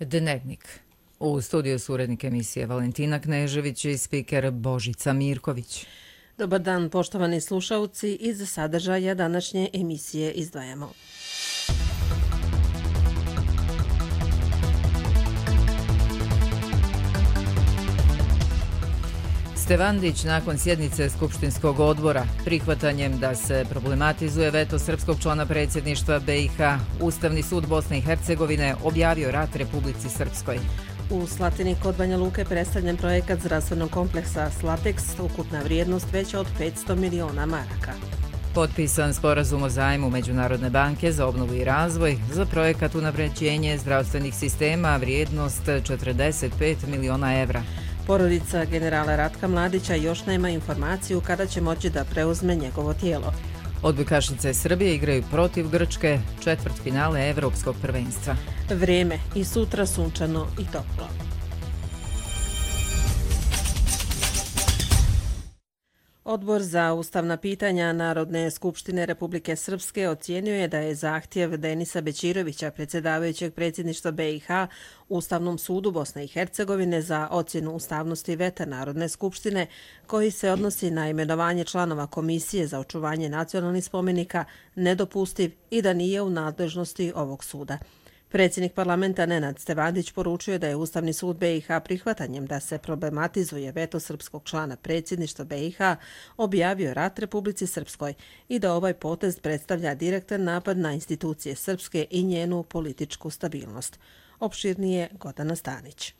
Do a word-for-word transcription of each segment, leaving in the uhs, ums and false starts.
Dnevnik. U studiju su urednik emisije Valentina Knežević i spiker Božica Mirković. Dobar dan, poštovani slušalci, iz sadržaja današnje emisije izdvajamo. Stevandić nakon sjednice Skupštinskog odbora prihvatanjem da se problematizuje veto srpskog člana predsjedništva B i H, Ustavni sud Bosne i Hercegovine objavio rat Republici Srpskoj. U Slatini kod Banja Luke predstavljen projekat zdravstvenog kompleksa Slateks, ukupna vrijednost veća od petsto miliona maraka. Potpisan sporazum o zajmu Međunarodne banke za obnovu i razvoj za projekat unapređenje zdravstvenih sistema, vrijednost četrdeset pet miliona evra. Porodica generala Ratka Mladića još nema informaciju kada će moći da preuzme njegovo tijelo. Odbojkašice Srbije igraju protiv Grčke, četvrtfinale Evropskog prvenstva. Vrijeme i sutra sunčano i toplo. Odbor za ustavna pitanja Narodne skupštine Republike Srpske ocijenio je da je zahtjev Denisa Bećirovića, predsjedavajućeg predsjedništva B i H, Ustavnom sudu Bosne i Hercegovine za ocjenu ustavnosti veta Narodne skupštine, koji se odnosi na imenovanje članova Komisije za očuvanje nacionalnih spomenika, nedopustiv i da nije u nadležnosti ovog suda. Predsjednik parlamenta Nenad Stevandić poručio da je Ustavni sud B i H prihvatanjem da se problematizuje veto srpskog člana predsjedništva B i H objavio rat Republici Srpskoj i da ovaj potez predstavlja direktan napad na institucije Srpske i njenu političku stabilnost. Opširnije Gordana Stanić.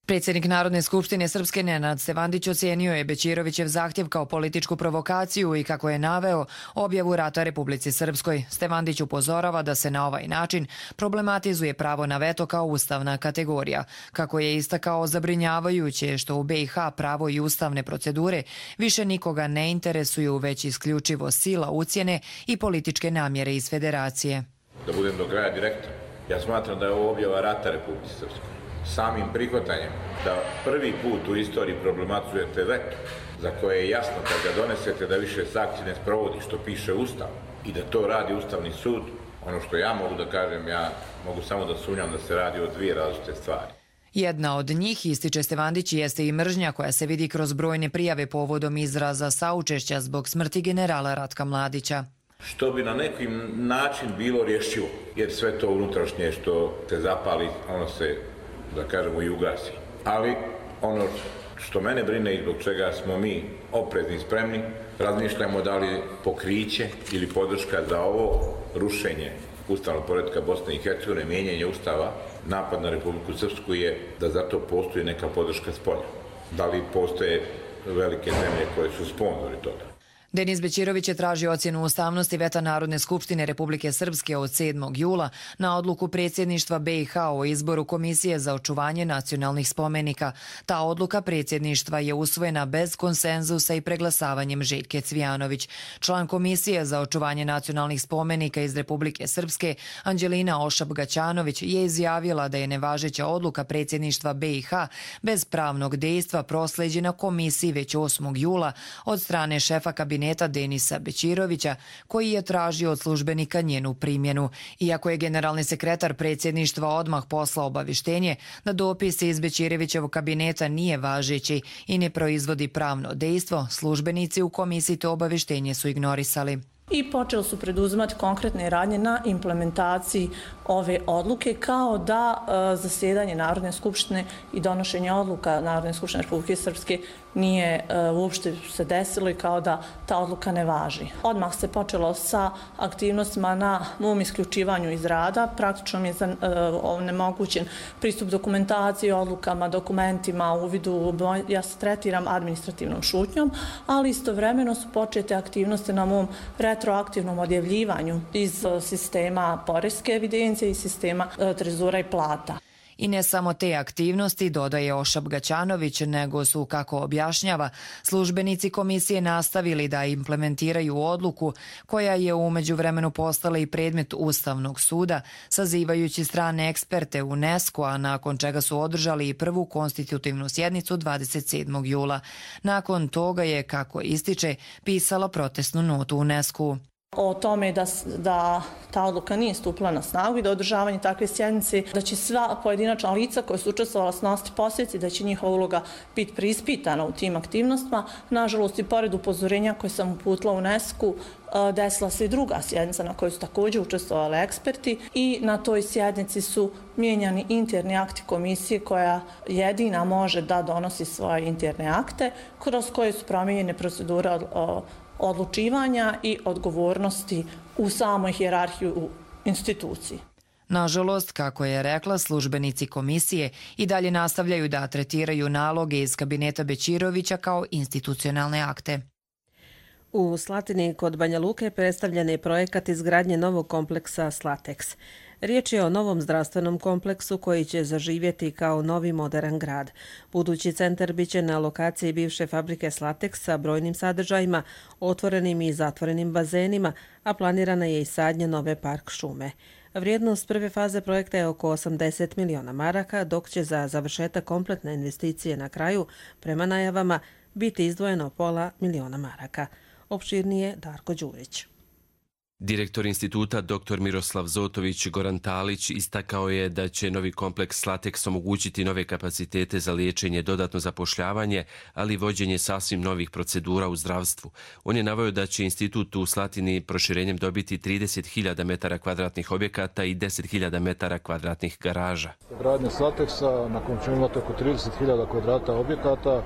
Predsjednik Narodne skupštine Srpske Nenad Stevandić ocijenio je Bećirovićev zahtjev kao političku provokaciju i, kako je naveo, objavu rata Republici Srpskoj. Stevandić upozorava da se na ovaj način problematizuje pravo na veto kao ustavna kategorija. Kako je istakao, zabrinjavajuće što u B i H pravo i ustavne procedure više nikoga ne interesuju, već isključivo sila, ucjene i političke namjere iz federacije. Da budem do kraja direktan, ja smatram da je ovo objava rata Republici Srpskoj. Samim prihvatanjem da prvi put u istoriji problematizujete veto, za koje je jasno kad ga donesete da više sankcije ne sprovodi, što piše Ustav, i da to radi Ustavni sud, ono što ja mogu da kažem, ja mogu samo da sumnjam da se radi o dvije različite stvari. Jedna od njih, ističe Stevandić, jeste i mržnja koja se vidi kroz brojne prijave povodom izraza saučešća zbog smrti generala Ratka Mladića. Što bi na neki način bilo rješivo, jer sve to unutrašnje što se zapali, ono se, da kažemo, i ugasi. Ali ono što mene brine i zbog čega smo mi oprezni i spremni, razmišljamo da li pokriće ili podrška za ovo rušenje ustavnog poretka Bosne i Hercegovine, mijenjanje ustava, napad na Republiku Srpsku, je da zato postoji neka podrška spolja. Da li postoje velike zemlje koje su sponzori toga. Denis Bećirović je tražio ocjenu ustavnosti veta Narodne skupštine Republike Srpske od sedmog jula na odluku predsjedništva B i H o izboru Komisije za očuvanje nacionalnih spomenika. Ta odluka predsjedništva je usvojena bez konsenzusa i preglasavanjem Željke Cvijanović. Član Komisije za očuvanje nacionalnih spomenika iz Republike Srpske, Anđelina Ošab-Gaćanović, je izjavila da je nevažeća odluka predsjedništva B i H bez pravnog dejstva prosleđena komisiji već osmog jula od strane šefa kabineta Denisa Bećirovića, koji je tražio od službenika njenu primjenu. Iako je generalni sekretar predsjedništva odmah poslao obavještenje da dopis iz Bećirovićevog kabineta nije važeći i ne proizvodi pravno dejstvo, službenici u komisiji to obavještenje su ignorisali. I počeli su preduzimati konkretne radnje na implementaciji ove odluke, kao da e, zasjedanje Narodne skupštine i donošenje odluka Narodne skupštine Republike Srpske nije e, uopšte se desilo i kao da ta odluka ne važi. Odmah se počelo sa aktivnostima na mom isključivanju iz rada. Praktično mi je e, onemogućen pristup dokumentaciji, odlukama, dokumentima, uvidu. Ja se tretiram administrativnom šutnjom, ali istovremeno su počete aktivnosti na mom retroaktivnom odjavljivanju iz sistema poreske evidencije i sistema trezora i plata. I ne samo te aktivnosti, dodaje Ošab-Gaćanović, nego su, kako objašnjava, službenici komisije nastavili da implementiraju odluku koja je u međuvremenu postala i predmet Ustavnog suda, sazivajući strane eksperte UNESCO, a nakon čega su održali i prvu konstitutivnu sjednicu dvadeset sedmog jula. Nakon toga je, kako ističe, pisala protestnu notu UNESCO. o tome da, da ta odluka nije stupila na snagu i da održavanje takve sjednice, da će sva pojedinačna lica koja su učestvovala snositi posljedice, da će njihova uloga biti preispitana u tim aktivnostima. Nažalost, i pored upozorenja koje sam uputila u UNESCO, desila se i druga sjednica na kojoj su također učestvovali eksperti i na toj sjednici su mijenjani interni akti komisije koja jedina može da donosi svoje interne akte kroz koje su promijenjene procedure odlučivanja i odgovornosti u samoj hijerarhiji u instituciji. Nažalost, kako je rekla, službenici komisije i dalje nastavljaju da tretiraju naloge iz kabineta Bećirovića kao institucionalne akte. U Slatini kod Banja Luke predstavljen je projekat izgradnje novog kompleksa Slatex. Riječ je o novom zdravstvenom kompleksu koji će zaživjeti kao novi moderan grad. Budući centar biće na lokaciji bivše fabrike Slatex sa brojnim sadržajima, otvorenim i zatvorenim bazenima, a planirana je i sadnja nove park šume. Vrijednost prve faze projekta je oko osamdeset miliona maraka, dok će za završetak kompletne investicije na kraju, prema najavama, biti izdvojeno pola miliona maraka. Opširnije Darko Đurić. Direktor instituta dr Miroslav Zotović Goran Talić istakao je da će novi kompleks Slatex omogućiti nove kapacitete za liječenje, dodatno zapošljavanje, ali i vođenje sasvim novih procedura u zdravstvu. On je naveo da će institut u Slatini proširenjem dobiti trideset hiljada metara kvadratnih objekata i deset hiljada metara kvadratnih garaža. Gradnja Slatexa, na kojem ćemo imati oko trideset hiljada kvadrata objekata,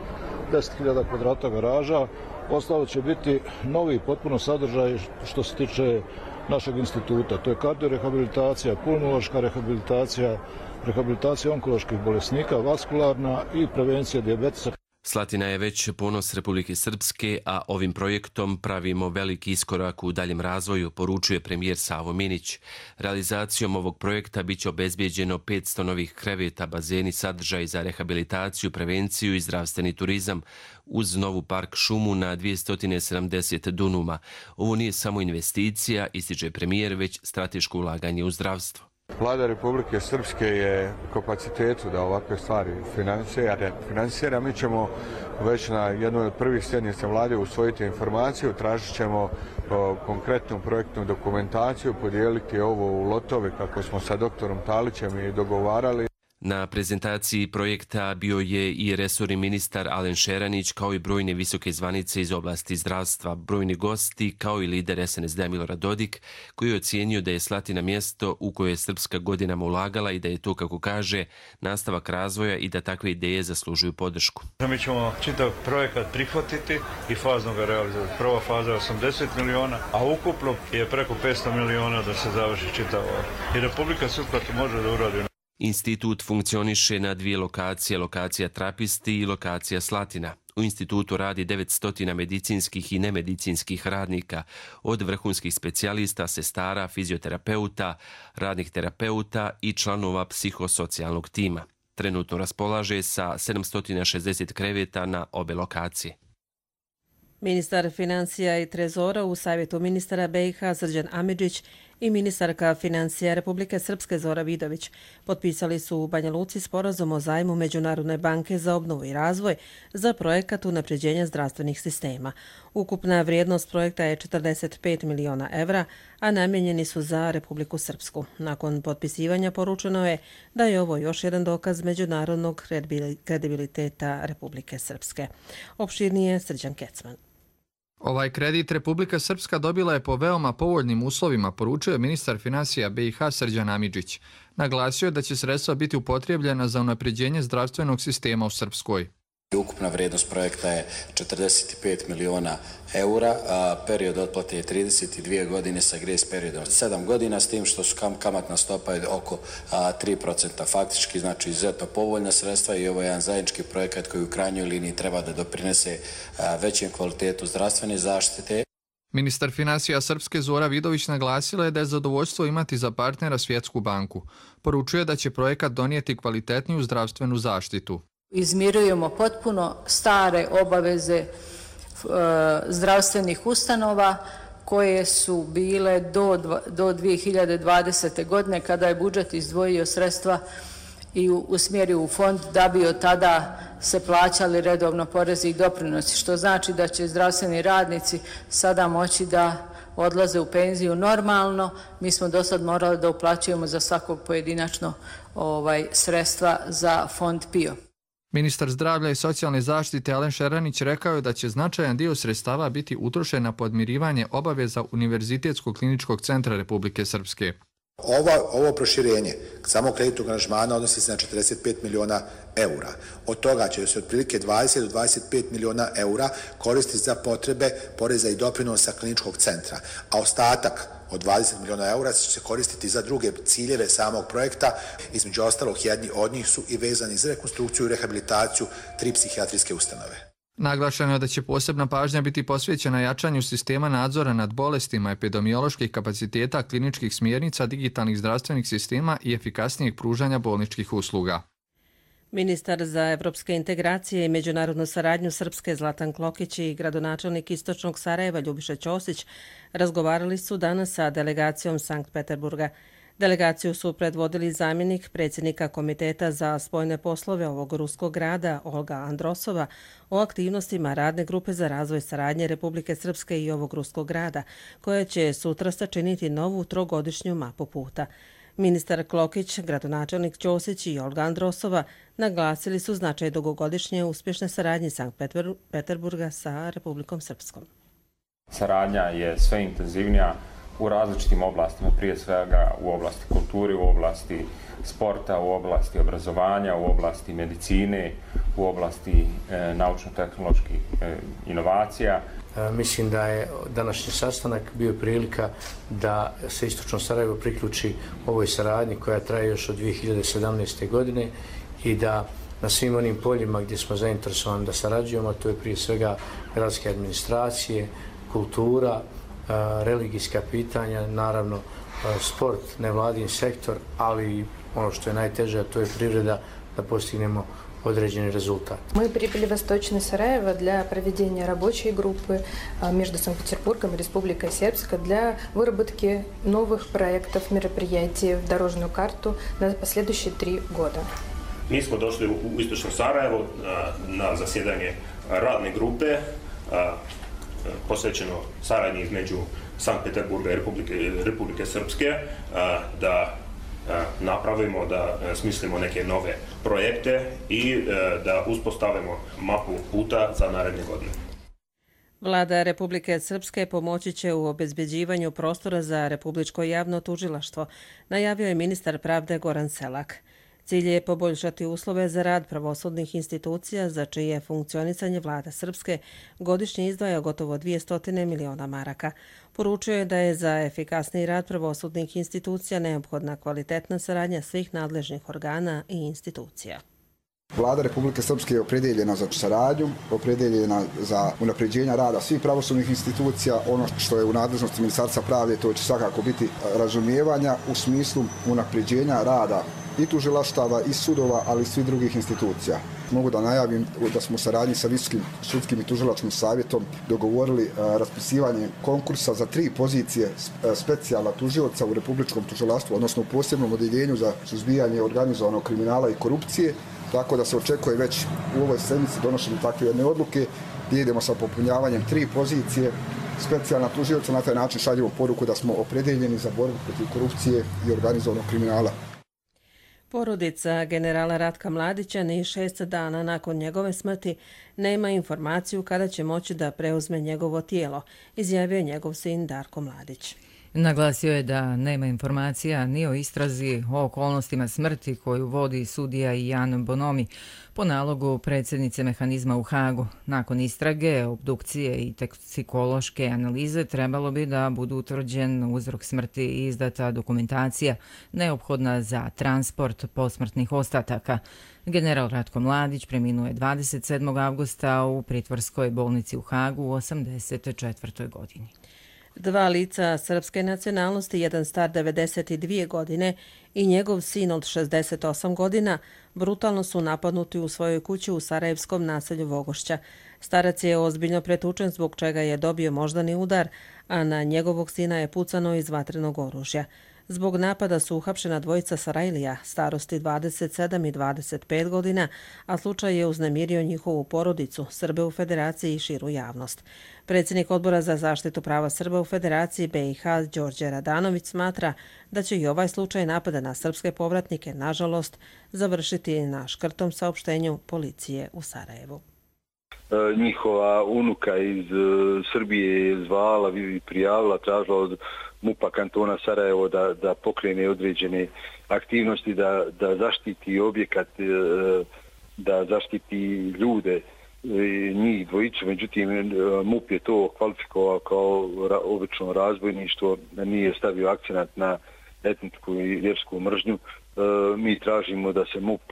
deset hiljada kvadrata garaža. Ostalo će biti novi potpuno sadržaj što se tiče našeg instituta. To je kardiorehabilitacija, pulmološka rehabilitacija, rehabilitacija onkoloških bolesnika, vaskularna i prevencija dijabetesa. Slatina je već ponos Republike Srpske, a ovim projektom pravimo veliki iskorak u daljem razvoju, poručuje premijer Savo Minić. Realizacijom ovog projekta biće obezbijeđeno petsto novih kreveta, bazeni, sadržaj za rehabilitaciju, prevenciju i zdravstveni turizam, uz novu park šumu na dvjesto sedamdeset dunuma. Ovo nije samo investicija, ističe premijer, već strateško ulaganje u zdravstvo. Vlada Republike Srpske je kapacitetu da ovakve stvari finansira. Mi ćemo već na jednoj od prvih sjednica vlade usvojiti informaciju, tražit ćemo konkretnu projektnu dokumentaciju, podijeliti ovo u lotove kako smo sa doktorom Talićem i dogovarali. Na prezentaciji projekta bio je i resorni ministar Alen Šeranić, kao i brojne visoke zvanice iz oblasti zdravstva, brojni gosti, kao i lider es en es de Milorad Dodik, koji je ocijenio da je Slatina mjesto u koje je Srpska godinama ulagala i da je to, kako kaže, nastavak razvoja i da takve ideje zaslužuju podršku. Mi ćemo čitav projekat prihvatiti i fazno ga realizati. Prva faza je osamdeset miliona, a ukupno je preko petsto miliona da se završi čitav ovaj. I Republika Srpska to može da uradi. Institut funkcioniše na dvije lokacije, lokacija Trapisti i lokacija Slatina. U institutu radi devetsto medicinskih i nemedicinskih radnika, od vrhunskih specijalista, sestara, fizioterapeuta, radnih terapeuta i članova psihosocijalnog tima. Trenutno raspolaže sa sedamsto šezdeset kreveta na obe lokacije. Ministar financija i trezora u Savjetu ministara be i ha Srđan Amidžić i ministarka financija Republike Srpske Zora Vidović potpisali su u Banja Luci sporazum o zajmu Međunarodne banke za obnovu i razvoj za projekat unapređenja zdravstvenih sistema. Ukupna vrijednost projekta je četrdeset pet miliona evra, a namijenjeni su za Republiku Srpsku. Nakon potpisivanja poručeno je da je ovo još jedan dokaz međunarodnog kredibiliteta Republike Srpske. Opširnije Srđan Kecman. Ovaj kredit Republika Srpska dobila je po veoma povoljnim uslovima, poručuje ministar financija be i ha Srđan Amidžić. Naglasio je da će sredstva biti upotrijebljena za unapređenje zdravstvenog sistema u Srpskoj. Ukupna vrijednost projekta je četrdeset pet miliona eura, a period otplate je trideset dvije godine sa grace periodom od sedam godina, s tim što su kamatna stopa je oko tri procenta. Faktički, znači, izuzetno povoljna sredstva i ovo je jedan zajednički projekat koji u krajnjoj liniji treba da doprinese većem kvalitetu zdravstvene zaštite. Ministar financija Srpske Zora Vidović naglasila je da je zadovoljstvo imati za partnera Svjetsku banku. Poručuje da će projekat donijeti kvalitetniju zdravstvenu zaštitu. Izmirujemo potpuno stare obaveze e, zdravstvenih ustanova koje su bile do, do dvije hiljade dvadesete. godine kada je budžet izdvojio sredstva i usmjerio u fond da bi od tada se plaćali redovno porezi i doprinosi, što znači da će zdravstveni radnici sada moći da odlaze u penziju normalno. Mi smo do sad morali da uplaćujemo za svakog pojedinačno ovaj, sredstva za fond P I O. Ministar zdravlja i socijalne zaštite Alen Šeranić rekao je da će značajan dio sredstava biti utrošen na podmirivanje obaveza Univerzitetskog kliničkog centra Republike Srpske. Ovo, ovo proširenje samo kreditnog aranžmana odnosi se na četrdeset pet miliona eura. Od toga će se otprilike dvadeset do dvadeset pet miliona eura koristiti za potrebe poreza i doprinosa kliničkog centra, a ostatak od dvadeset miliona eura će se koristiti za druge ciljeve samog projekta. Između ostalog, jedni od njih su i vezani za rekonstrukciju i rehabilitaciju tri psihijatrijske ustanove. Naglašeno je da će posebna pažnja biti posvećena jačanju sistema nadzora nad bolestima, epidemioloških kapaciteta, kliničkih smjernica, digitalnih zdravstvenih sistema i efikasnijeg pružanja bolničkih usluga. Ministar za evropske integracije i međunarodnu saradnju Srpske Zlatan Klokić i gradonačelnik Istočnog Sarajeva Ljubiša Ćosić razgovarali su danas sa delegacijom Sankt Peterburga. Delegaciju su predvodili zamjenik predsjednika Komiteta za spoljne poslove ovog ruskog grada Olga Androsova o aktivnostima radne grupe za razvoj saradnje Republike Srpske i ovog ruskog grada, koja će sutra sačiniti novu trogodišnju mapu puta. Ministar Klokić, gradonačelnik Ćosić i Olga Androsova naglasili su značaj dugogodišnje uspješne saradnje Sankt Peterburga sa Republikom Srpskom. Saradnja je sve intenzivnija u različitim oblastima, prije svega u oblasti kulture, u oblasti sporta, u oblasti obrazovanja, u oblasti medicine, u oblasti e, naučno-tehnoloških e, inovacija. E, mislim da je današnji sastanak bio prilika da se Istočno Sarajevo priključi ovoj saradnji koja traje još od dvije hiljade sedamnaeste. godine i da na svim onim poljima gdje smo zainteresovani da sarađujemo, to je prije svega gradske administracije, kultura, religijska pitanja, naravno sport, nevladin sektor, ali ono što je najteže, a to je privreda, da postignemo određeni результат. Мы прибыли в Восточный Сараево для проведения рабочей группы между Санкт-Петербургом и Республикой Сербска для выработки новых проектов, мероприятий в дорожную карту на последующие три года. Mi smo došli u Istočno Sarajevo na zasjedanje radne grupe posvećeno saradnji između Sankt Peterburga i Republike, Republike Srpske, da napravimo, da smislimo neke nove projekte i da uspostavimo mapu puta za naredne godine. Vlada Republike Srpske pomoći će u obezbeđivanju prostora za Republičko javno tužilaštvo, najavio je ministar pravde Goran Selak. Cilj je poboljšati uslove za rad pravosudnih institucija za čije funkcionisanje vlada Srpske godišnje izdvaja gotovo dvjesto miliona maraka. Poručio je da je za efikasniji rad pravosudnih institucija neophodna kvalitetna saradnja svih nadležnih organa i institucija. Vlada Republike Srpske je opredeljena za saradnju, opredeljena za unapređenje rada svih pravosudnih institucija. Ono što je u nadležnosti Ministarstva pravde, to će svakako biti razumijevanja u smislu unapređenja rada i tužilaštava, i sudova, ali i svih drugih institucija. Mogu da najavim da smo u saradnji sa Visokim sudskim i tužilačkim savjetom dogovorili raspisivanje konkursa za tri pozicije specijalna tužioca u Republičkom tužilaštvu, odnosno u posebnom odeljenju za suzbijanje organizovanog kriminala i korupcije, tako da se očekuje već u ovoj sedmici donošenje takve jedne odluke gdje idemo sa popunjavanjem tri pozicije specijalna tužioca. Na taj način šaljemo poruku da smo opredeljeni za borbu protiv korupcije i organizovanog kriminala. Porodica generala Ratka Mladića ni šest dana nakon njegove smrti nema informaciju kada će moći da preuzme njegovo tijelo, izjavio je njegov sin Darko Mladić. Naglasio je da nema informacija ni o istrazi o okolnostima smrti koju vodi sudija Jan Bonomi po nalogu predsjednice mehanizma u Hagu. Nakon istrage, obdukcije i toksikološke analize trebalo bi da budu utvrđen uzrok smrti i izdata dokumentacija neophodna za transport posmrtnih ostataka. General Ratko Mladić preminuo je dvadeset sedmog avgusta u pritvorskoj bolnici u Hagu u osamdeset četvrtoj godini. Dva lica srpske nacionalnosti, jedan star devedeset dvije godine i njegov sin od šezdeset osam godina, brutalno su napadnuti u svojoj kući u sarajevskom naselju Vogošća. Starac je ozbiljno pretučen zbog čega je dobio moždani udar, a na njegovog sina je pucano iz vatrenog oružja. Zbog napada su uhapšena dvojica Sarajlija, starosti dvadeset sedam i dvadeset pet godina, a slučaj je uznemirio njihovu porodicu, Srbe u Federaciji i širu javnost. Predsjednik Odbora za zaštitu prava Srba u Federaciji B i H Đorđe Radanović smatra da će i ovaj slučaj napada na srpske povratnike, nažalost, završiti na škrtom saopštenju policije u Sarajevu. Njihova unuka iz Srbije je zvala i prijavila, tražila od MUP-a kantona Sarajevo da, da pokrene određene aktivnosti, da, da zaštiti objekat, da zaštiti ljude, njih dvojicu. Međutim, MUP je to kvalifikovao kao obično razbojništvo, nije stavio akcenat na etničku i vjersku mržnju. Mi tražimo da se MUP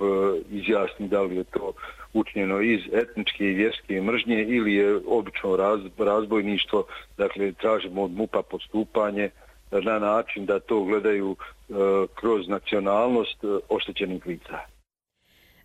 izjasni da li je to učinjeno iz etničke i vjerske mržnje ili je obično razbojništvo. Dakle, tražimo od MUP-a postupanje na način da to gledaju kroz nacionalnost oštećenih lica.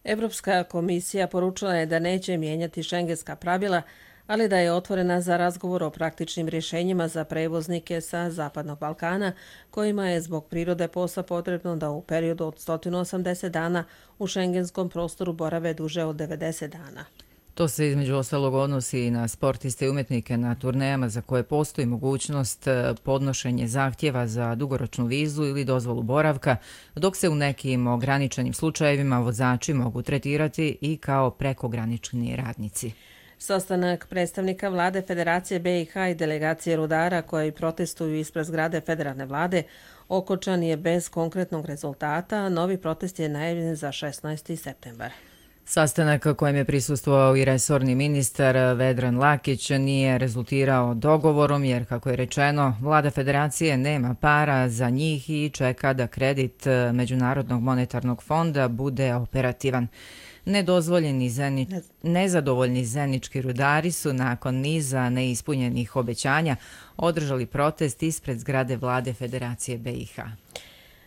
Evropska komisija poručila je da neće mijenjati šengenska pravila, ali da je otvorena za razgovor o praktičnim rješenjima za prevoznike sa Zapadnog Balkana, kojima je zbog prirode posla potrebno da u periodu od sto osamdeset dana u šengenskom prostoru borave duže od devedeset dana. To se između ostalog odnosi i na sportiste i umjetnike na turnejama za koje postoji mogućnost podnošenje zahtjeva za dugoročnu vizu ili dozvolu boravka, dok se u nekim ograničenim slučajevima vozači mogu tretirati i kao prekogranični radnici. Sastanak predstavnika vlade Federacije B i H i delegacije rudara koji protestuju ispred zgrade federalne vlade okončan je bez konkretnog rezultata. Novi protest je najavljen za šesnaesti septembar. Sastanak kojem je prisustvovao i resorni ministar Vedran Lakić nije rezultirao dogovorom jer, kako je rečeno, vlada Federacije nema para za njih i čeka da kredit Međunarodnog monetarnog fonda bude operativan. Nedozvoljeni zeni... Nezadovoljni zenički rudari su nakon niza neispunjenih obećanja održali protest ispred zgrade vlade Federacije B i H.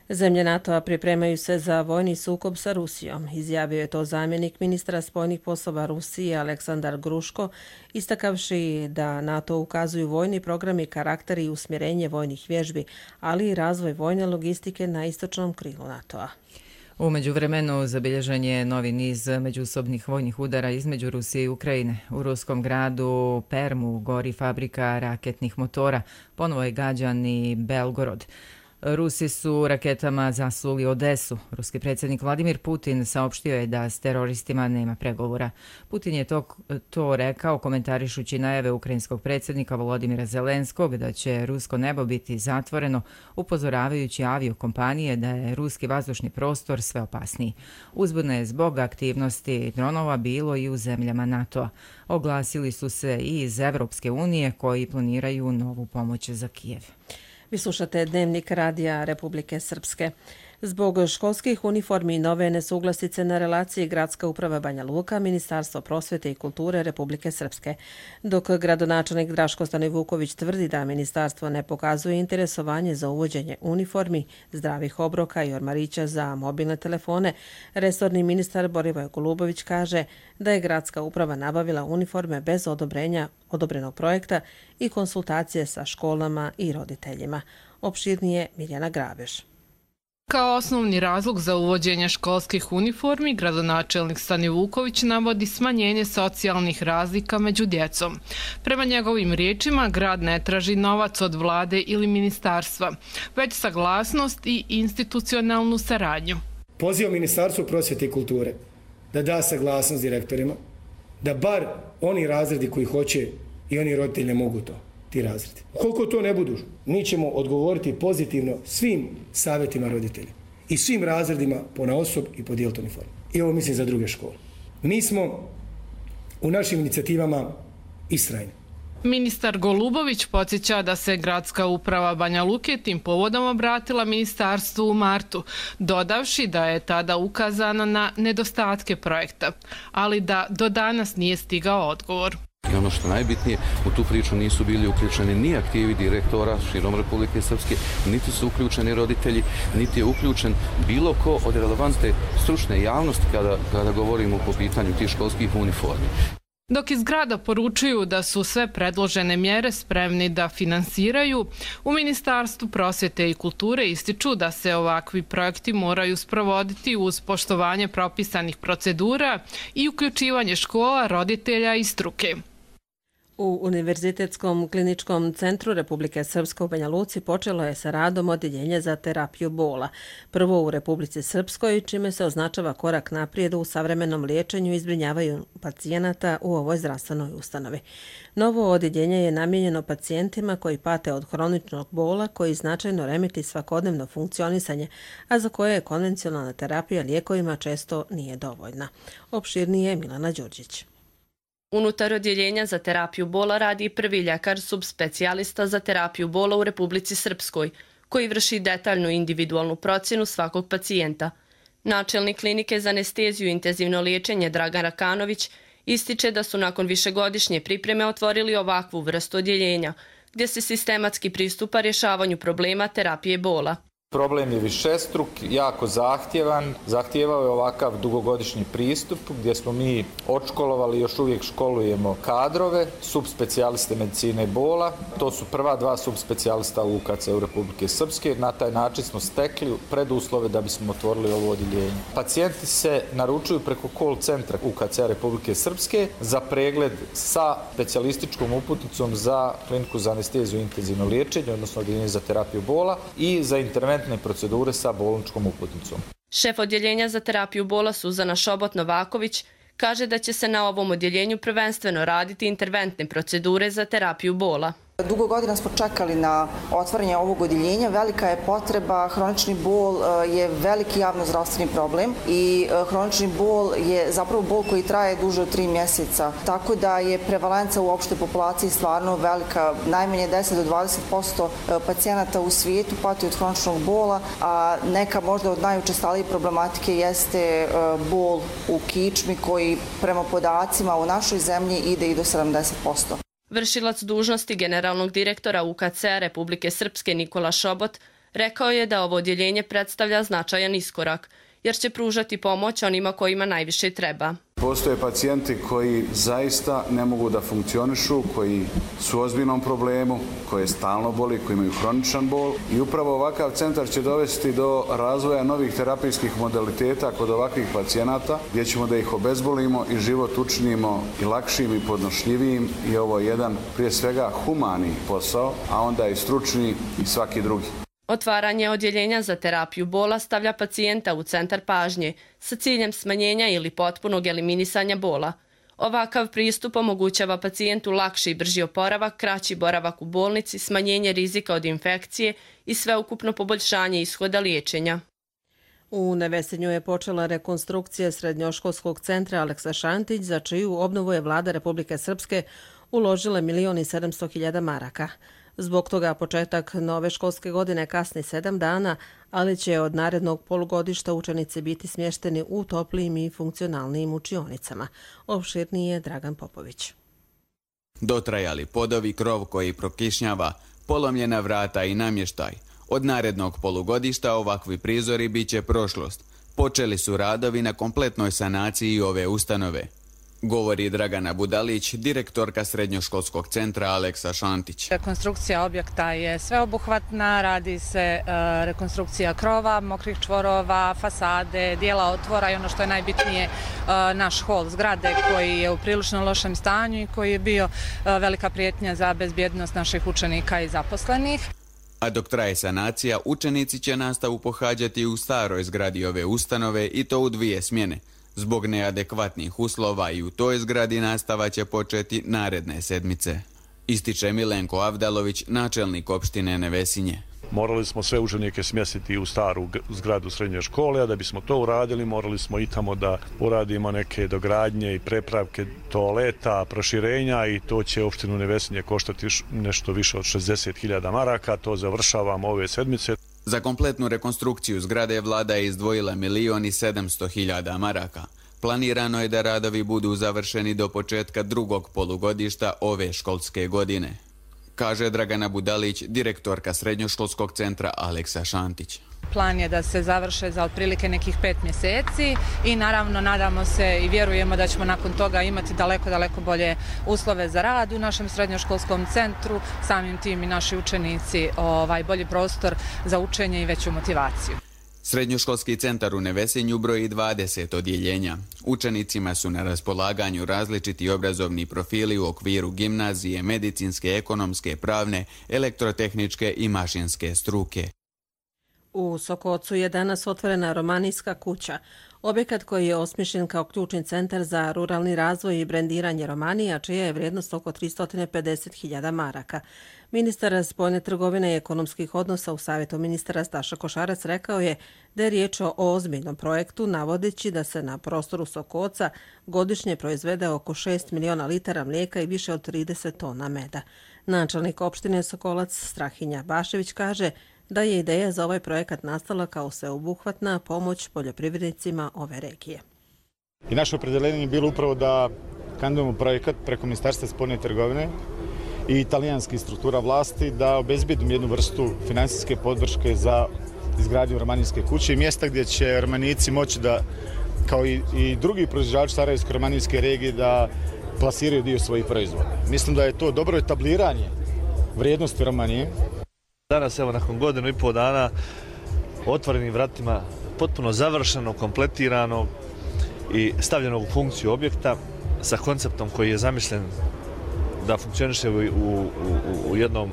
Zemlje NATO-a pripremaju se za vojni sukob sa Rusijom. Izjavio je to zamjenik ministra spoljnih poslova Rusije Aleksandar Gruško, istakavši da NATO ukazuju vojni programi, karakter i usmjerenje vojnih vježbi, ali i razvoj vojne logistike na istočnom krilu NATO-a. U međuvremenu zabilježen je novi niz međusobnih vojnih udara između Rusije i Ukrajine. U ruskom gradu Permu gori fabrika raketnih motora, ponovo je gađan i Belgorod. Rusi su raketama zasuli Odesu. Ruski predsjednik Vladimir Putin saopštio je da s teroristima nema pregovora. Putin je to, to rekao komentarišući najave ukrajinskog predsjednika Volodimira Zelenskog da će rusko nebo biti zatvoreno, upozoravajući aviokompanije da je ruski vazdušni prostor sve opasniji. Uzbudno je zbog aktivnosti dronova bilo i u zemljama NATO-a. Oglasili su se i iz Evropske unije koji planiraju novu pomoć za Kijev. Vi slušate Dnevnik radija Republike Srpske. Zbog školskih uniformi i nove nesuglasice na relaciji Gradska uprava Banja Luka, Ministarstvo prosvjete i kulture Republike Srpske. Dok gradonačelnik Draško Stanivuković tvrdi da ministarstvo ne pokazuje interesovanje za uvođenje uniformi, zdravih obroka i ormarića za mobilne telefone, resorni ministar Borivoj Golubović kaže da je Gradska uprava nabavila uniforme bez odobrenja odobrenog projekta i konsultacije sa školama i roditeljima. Opširnije Mirjana Grabeš. Kao osnovni razlog za uvođenje školskih uniformi, gradonačelnik Stanivuković navodi smanjenje socijalnih razlika među djecom. Prema njegovim riječima, grad ne traži novac od vlade ili ministarstva, već saglasnost i institucionalnu saradnju. Pozivam Ministarstvo prosvjete i kulture da da saglasnost direktorima, da bar oni razredi koji hoće i oni roditelji ne mogu to. Ti razredi. Koliko to ne budu, mi ćemo odgovoriti pozitivno svim savjetima roditelja i svim razredima ponaosob i podijeliti uniformu. I ovo mislim za druge škole. Mi smo u našim inicijativama istrajni. Ministar Golubović podsjeća da se Gradska uprava Banja Luke tim povodom obratila ministarstvu u martu, dodavši da je tada ukazano na nedostatke projekta, ali da do danas nije stigao odgovor. I ono što najbitnije, u tu priču nisu bili uključeni ni aktivi direktora širom Republike Srpske, niti su uključeni roditelji, niti je uključen bilo ko od relevantne stručne javnosti kada, kada govorimo po pitanju tih školskih uniformi. Dok iz grada poručuju da su sve predložene mjere spremni da finansiraju, u Ministarstvu prosvjete i kulture ističu da se ovakvi projekti moraju sprovoditi uz poštovanje propisanih procedura i uključivanje škola, roditelja i struke. U Univerzitetskom kliničkom centru Republike Srpske u Banja Luci počelo je sa radom odjeljenje za terapiju bola. Prvo u Republici Srpskoj, čime se označava korak naprijed u savremenom liječenju i zbrinjavanju pacijenata u ovoj zdravstvenoj ustanovi. Novo odjeljenje je namijenjeno pacijentima koji pate od hroničnog bola koji značajno remeti svakodnevno funkcionisanje, a za koje konvencionalna terapija lijekovima često nije dovoljna. Opširnije Milana Đurđić. Unutar odjeljenja za terapiju bola radi prvi ljekar subspecijalista za terapiju bola u Republici Srpskoj, koji vrši detaljnu individualnu procjenu svakog pacijenta. Načelnik klinike za anesteziju i intenzivno liječenje Dragan Rakanović ističe da su nakon višegodišnje pripreme otvorili ovakvu vrstu odjeljenja, gdje se sistematski pristupa rješavanju problema terapije bola. Problem je višestruk, jako zahtjevan, zahtjevao je ovakav dugogodišnji pristup gdje smo mi odškolovali i još uvijek školujemo kadrove, subspecijaliste medicine bola. To su prva dva subspecijalista u U K C u Republike Srpske. Na taj način smo stekli preduslove da bismo otvorili ovo odjeljenje. Pacijenti se naručuju preko call centra U K C Republike Srpske za pregled sa specijalističkom uputnicom za kliniku za anesteziju i intenzivno liječenje, odnosno odjeljenje za terapiju bola i za interventne procedure sa bolničkom uputnicom. Šef odjeljenja za terapiju bola Suzana Šobot-Novaković kaže da će se na ovom odjeljenju prvenstveno raditi interventne procedure za terapiju bola. Dugo godina smo čekali na otvaranje ovog odjeljenja, velika je potreba, hronični bol je veliki javnozdravstveni problem i hronični bol je zapravo bol koji traje duže od tri mjeseca, tako da je prevalenca u opštoj populaciji stvarno velika, najmanje deset do dvadeset posto pacijenata u svijetu pati od hroničnog bola, a neka možda od najučestalijih problematike jeste bol u kičmi koji prema podacima u našoj zemlji ide i do sedamdeset posto. Vršilac dužnosti generalnog direktora U K C Republike Srpske Nikola Šobot rekao je da ovo odjeljenje predstavlja značajan iskorak, jer će pružati pomoć onima kojima najviše treba. Postoje pacijenti koji zaista ne mogu da funkcionišu, koji su u ozbiljnom problemu, koje stalno boli, koji imaju hroničan bol i upravo ovakav centar će dovesti do razvoja novih terapijskih modaliteta kod ovakvih pacijenata gdje ćemo da ih obezbolimo i život učinimo i lakšim i podnošljivijim i ovo je jedan prije svega humani posao, a onda i stručni i svaki drugi. Otvaranje odjeljenja za terapiju bola stavlja pacijenta u centar pažnje sa ciljem smanjenja ili potpunog eliminisanja bola. Ovakav pristup omogućava pacijentu lakši i brži oporavak, kraći boravak u bolnici, smanjenje rizika od infekcije i sveukupno poboljšanje ishoda liječenja. U Nevesinju je počela rekonstrukcija srednjoškolskog centra Aleksa Šantić, za čiju obnovu je vlada Republike Srpske uložila milion i sedamsto hiljada maraka. Zbog toga početak nove školske godine kasni sedam dana, ali će od narednog polugodišta učenici biti smješteni u toplijim i funkcionalnim učionicama. Opširniji je Dragan Popović. Dotrajali podovi, krov koji prokišnjava, polomljena vrata i namještaj. Od narednog polugodišta ovakvi prizori bit će prošlost. Počeli su radovi na kompletnoj sanaciji ove ustanove, govori Dragana Budalić, direktorka srednjoškolskog centra Aleksa Šantić. Rekonstrukcija objekta je sveobuhvatna, radi se rekonstrukcija krova, mokrih čvorova, fasade, dijela otvora i ono što je najbitnije, naš hol zgrade koji je u prilično lošem stanju i koji je bio velika prijetnja za bezbjednost naših učenika i zaposlenih. A dok traje sanacija, učenici će nastavu pohađati u staroj zgradi ove ustanove i to u dvije smjene. Zbog neadekvatnih uslova i u toj zgradi nastava će početi naredne sedmice. Ističe Milenko Avdalović, načelnik opštine Nevesinje. Morali smo sve učenike smjestiti u staru zgradu srednje škole, a da bismo to uradili morali smo i tamo da uradimo neke dogradnje i prepravke toaleta, proširenja i to će opštinu Nevesinje koštati nešto više od šezdeset hiljada maraka. To završavamo ove sedmice. Za kompletnu rekonstrukciju zgrade vlada je izdvojila milion i sedamsto hiljada maraka. Planirano je da radovi budu završeni do početka drugog polugodišta ove školske godine. kaže Dragana Budalić, direktorka srednjoškolskog centra Aleksa Šantić. Plan je da se završe za otprilike nekih pet mjeseci i naravno nadamo se i vjerujemo da ćemo nakon toga imati daleko, daleko bolje uslove za rad u našem srednjoškolskom centru, samim tim i naši učenici ovaj, bolji prostor za učenje i veću motivaciju. Srednjoškolski centar u Nevesinju broji dvadeset odjeljenja. Učenicima su na raspolaganju različiti obrazovni profili u okviru gimnazije, medicinske, ekonomske, pravne, elektrotehničke i mašinske struke. U Sokocu je danas otvorena Romanijska kuća, objekat koji je osmišljen kao ključni centar za ruralni razvoj i brendiranje Romanije, a čija je vrijednost oko tristo pedeset hiljada maraka. Ministar spoljne trgovine i ekonomskih odnosa u Savjetu ministara Staša Košarac rekao je da je riječ o ozbiljnom projektu, navodeći da se na prostoru Sokoca godišnje proizvede oko šest miliona litara mlijeka i više od trideset tona meda. Načelnik opštine Sokolac Strahinja Bašević kaže da je ideja za ovaj projekat nastala kao sveobuhvatna pomoć poljoprivrednicima ove regije. I naše opredeljenje je bilo upravo da kandidujemo projekat preko Ministarstva spoljne trgovine i italijanskih struktura vlasti da obezbedimo jednu vrstu finansijske podrške za izgradnju romanijske kuće i mjesta gdje će Romanijci moći da, kao i, i drugi proizvođači Sarajevsko-romanijske regije, da plasiraju dio svojih proizvoda. Mislim da je to dobro etabliranje vrijednosti Romanije. Danas, evo, nakon godinu i pol dana, otvorenim vratima, potpuno završeno, kompletirano i stavljeno u funkciju objekta sa konceptom koji je zamišljen da funkcioniše u, u, u jednom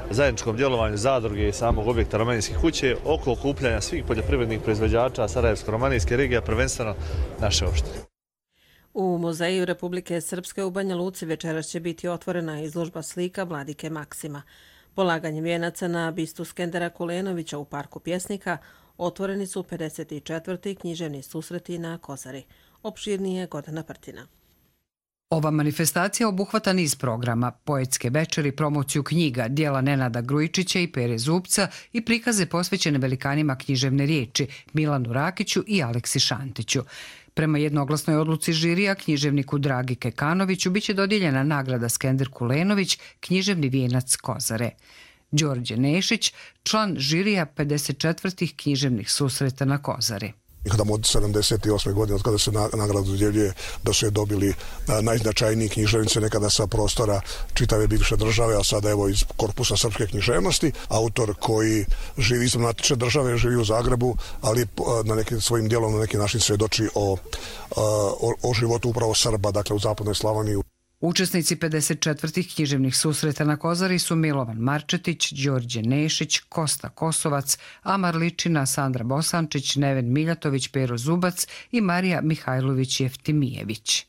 zajedničkom djelovanju zadruge i samog objekta Romanijske kuće oko okupljanja svih poljoprivrednih proizvođača Sarajevsko-romanijske regije, prvenstveno naše opštine. U Muzeju Republike Srpske u Banja Luci večeras će biti otvorena izložba slika Vladike Maksima. Polaganjem vijenaca na bistu Skendera Kulenovića u Parku pjesnika otvoreni su pedeset četvrti književni susreti na Kozari. Opširnije Gordana Prtina. Ova manifestacija obuhvata niz programa, poetske večeri, promociju knjiga, dijela Nenada Grujičića i Pere Zubca i prikaze posvećene velikanima književne riječi Milanu Rakiću i Aleksi Šantiću. Prema jednoglasnoj odluci žirija književniku Dragi Kekanoviću biće dodijeljena nagrada Skender Kulenović, književni vijenac Kozare. Đorđe Nešić, član žirija pedeset četvrtih književnih susreta na Kozari. Kada od sedamdeset osme godine, od kada se nagrada dodjeljuje, da su je dobili najznačajniji književnici nekada sa prostora čitave bivše države, a sada evo iz korpusa srpske književnosti. Autor koji živi izvan matične države, živi u Zagrebu, ali na nekim svojim dijelom na neki način svjedoči o, o, o životu upravo Srba, dakle u zapadnoj Slavoniji. Učesnici pedeset četvrtih književnih susreta na Kozari su Milovan Marčetić, Đorđe Nešić, Kosta Kosovac, Amar Ličina, Sandra Bosančić, Neven Miljatović, Pero Zubac i Marija Mihajlović Jeftimijević.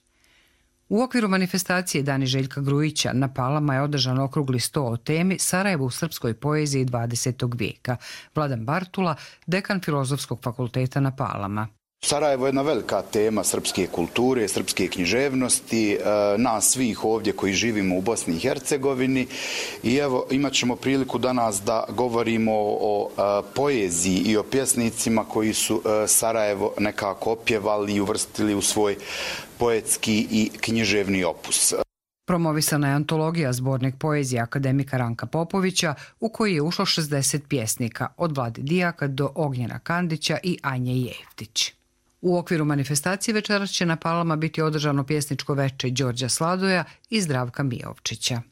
U okviru manifestacije Dani Željka Grujića na Palama je održan okrugli sto o temi Sarajevo u srpskoj poeziji dvadesetog vijeka. Vladan Bartula, dekan Filozofskog fakulteta na Palama. Sarajevo je jedna velika tema srpske kulture, srpske književnosti, nas svih ovdje koji živimo u Bosni i Hercegovini i evo imat ćemo priliku danas da govorimo o poeziji i o pjesnicima koji su Sarajevo nekako opjevali i uvrstili u svoj poetski i književni opus. Promovisana je antologija zbornik poezije akademika Ranka Popovića u koji je ušlo šezdeset pjesnika, od Vlade Dijaka do Ognjena Kandića i Anje Jeftić. U okviru manifestacije večeras će na Palama biti održano pjesničko veče Đorđa Sladoja i Zdravka Mijovčića.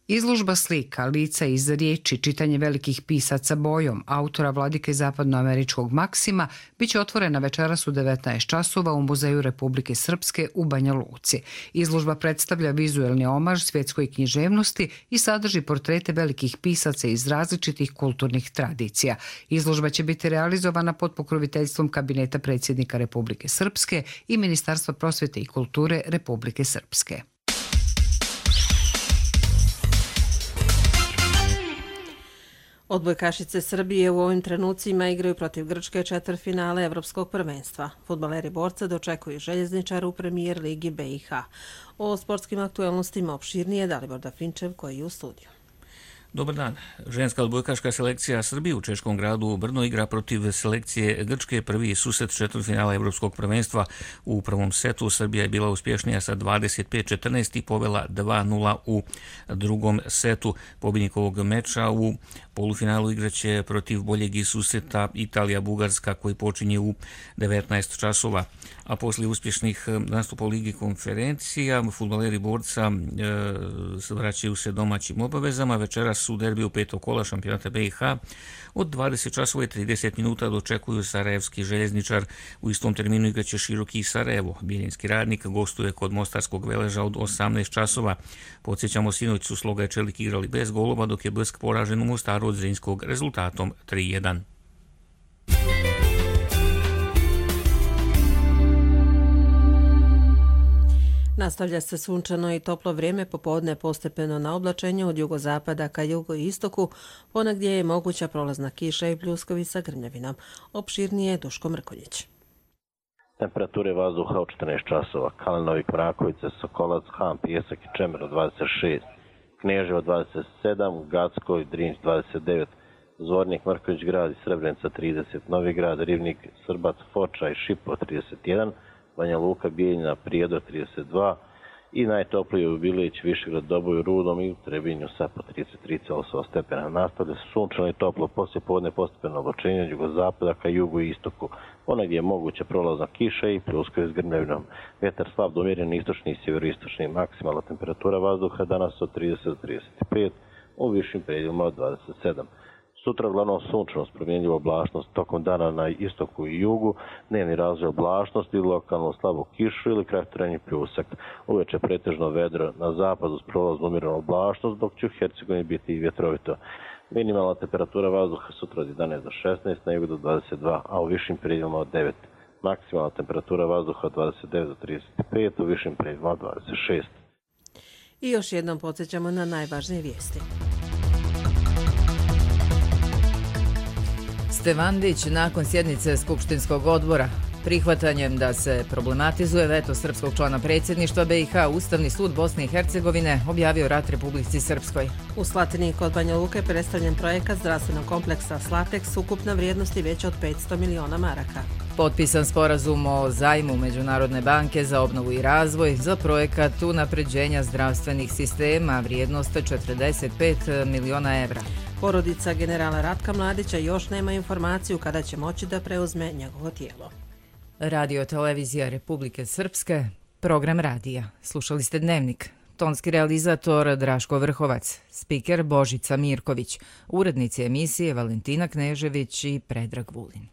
Izložba slika, lica iz riječi, čitanje velikih pisaca bojom, autora Vladike zapadnoameričkog Maksima, biće otvorena večeras u devetnaest časova u Muzeju Republike Srpske u Banja Luci. Izložba predstavlja vizuelni omaž svjetskoj književnosti i sadrži portrete velikih pisaca iz različitih kulturnih tradicija. Izložba će biti realizovana pod pokroviteljstvom Kabineta predsjednika Republike Srpske i Ministarstva prosvjete i kulture Republike Srpske. Odbojkašice Srbije u ovim trenucima igraju protiv Grčke četvrtfinale Evropskog prvenstva. Fudbaleri borca dočekuju Željezničara u premijer ligi B i H. O sportskim aktualnostima opširnije Dalibor Dafinčev koji je u studiju. Dobar dan. Ženska odbojkaška selekcija Srbije u češkom gradu Brno igra protiv selekcije Grčke. Prvi susret četvrtfinala Evropskog prvenstva. U prvom setu Srbija je bila uspješnija sa dvadeset pet četrnaest i povela dva nula u drugom setu. Pobjednik ovog meča u polufinalu igraće protiv boljeg iz susreta Italija-Bugarska koji počinje u devetnaest časova. A poslije uspješnih nastupa u Ligi konferencija, fudbaleri borca e, vraćaju se domaćim obavezama. Večeras u derbiju petog kola šampionata B i H od dvadeset časova i trideset minuta dočekuju Sarajevski željezničar. U istom terminu igraće Široki Sarajevo. Bijeljinski Radnik gostuje kod Mostarskog Veleža od osamnaest časova. Podsjećamo, sinoć su Sloga i Čelik igrali bez golova, dok je Bljesk poražen u Mostaru od Zrinjskog rezultatom tri jedan. Nastavlja se sunčano i toplo vrijeme, popodne postepeno na oblačenju od jugozapada ka jugoistoku, ponegdje je moguća prolazna kiša i pljuskovi sa grmljavinom. Opširnije Duško Mrkonjić. Temperature vazduha od četrnaest časova, Kalinovik, Mrakovice, Sokolac, Han, Pijesak i Čemer od dvadeset šest, Kneževo dvadeset sedam, Gacko i Drinć dvadeset devet, Zvornik, Mrković grad i Srebrenica trideset, Novi grad, Rivnik, Srbac, Foča i Šipo trideset jedan, Banja Luka, Bijeljina, Prijedor trideset dva i najtoplije u Bilić, Višegrad, Doboj, Rudom i u Trebinju sa po trideset tri zarez osam stepena. Nastavlja se sunčano i toplo, poslije podne postepeno oblačenje od jugozapada ka jugu i istoku. Ponegdje je moguća prolazna kiša i pljuskovi s grmljavinom. Vjetar slab do umjeren istočni i sjeveroistočni. Maksimalna temperatura vazduha danas od trideset do trideset pet, u višim predjelima od dvadeset sedam. Sutra uglavnom sunčanost, promjenljiva oblačnost, tokom dana na istoku i jugu, dnevni razvoj oblačnosti, lokalno slabu kišu ili kratkotrajni pljusak. Uveče pretežno vedro na zapadu s prolaznom umjerenu oblačnost, dok će u Hercegovini biti i vjetrovito. Minimalna temperatura vazduha sutra od jedanaest do šesnaest, na jugu do dvadeset dva, a u višim predjelima od devet. Maksimalna temperatura vazduha od dvadeset devet do trideset pet, u višim predjelima od dvadeset šest. I još jednom podsjećamo na najvažnije vijesti. Stevandić nakon sjednice Skupštinskog odbora. Prihvatanjem da se problematizuje veto srpskog člana predsjedništva B i H, Ustavni sud Bosne i Hercegovine objavio rat Republici Srpskoj. U Slatini kod Banja Luke predstavljen projekat zdravstvenog kompleksa Slateks ukupna vrijednosti veća od petsto miliona maraka. Potpisan sporazum o zajmu Međunarodne banke za obnovu i razvoj za projekat unapređenja zdravstvenih sistema vrijednost četrdeset pet miliona evra. Porodica generala Ratka Mladića još nema informaciju kada će moći da preuzme njegovo tijelo. Radio televizija Republike Srpske, program radija. Slušali ste Dnevnik. Tonski realizator Draško Vrhovac, spiker Božica Mirković, urednici emisije Valentina Knežević i Predrag Vulin.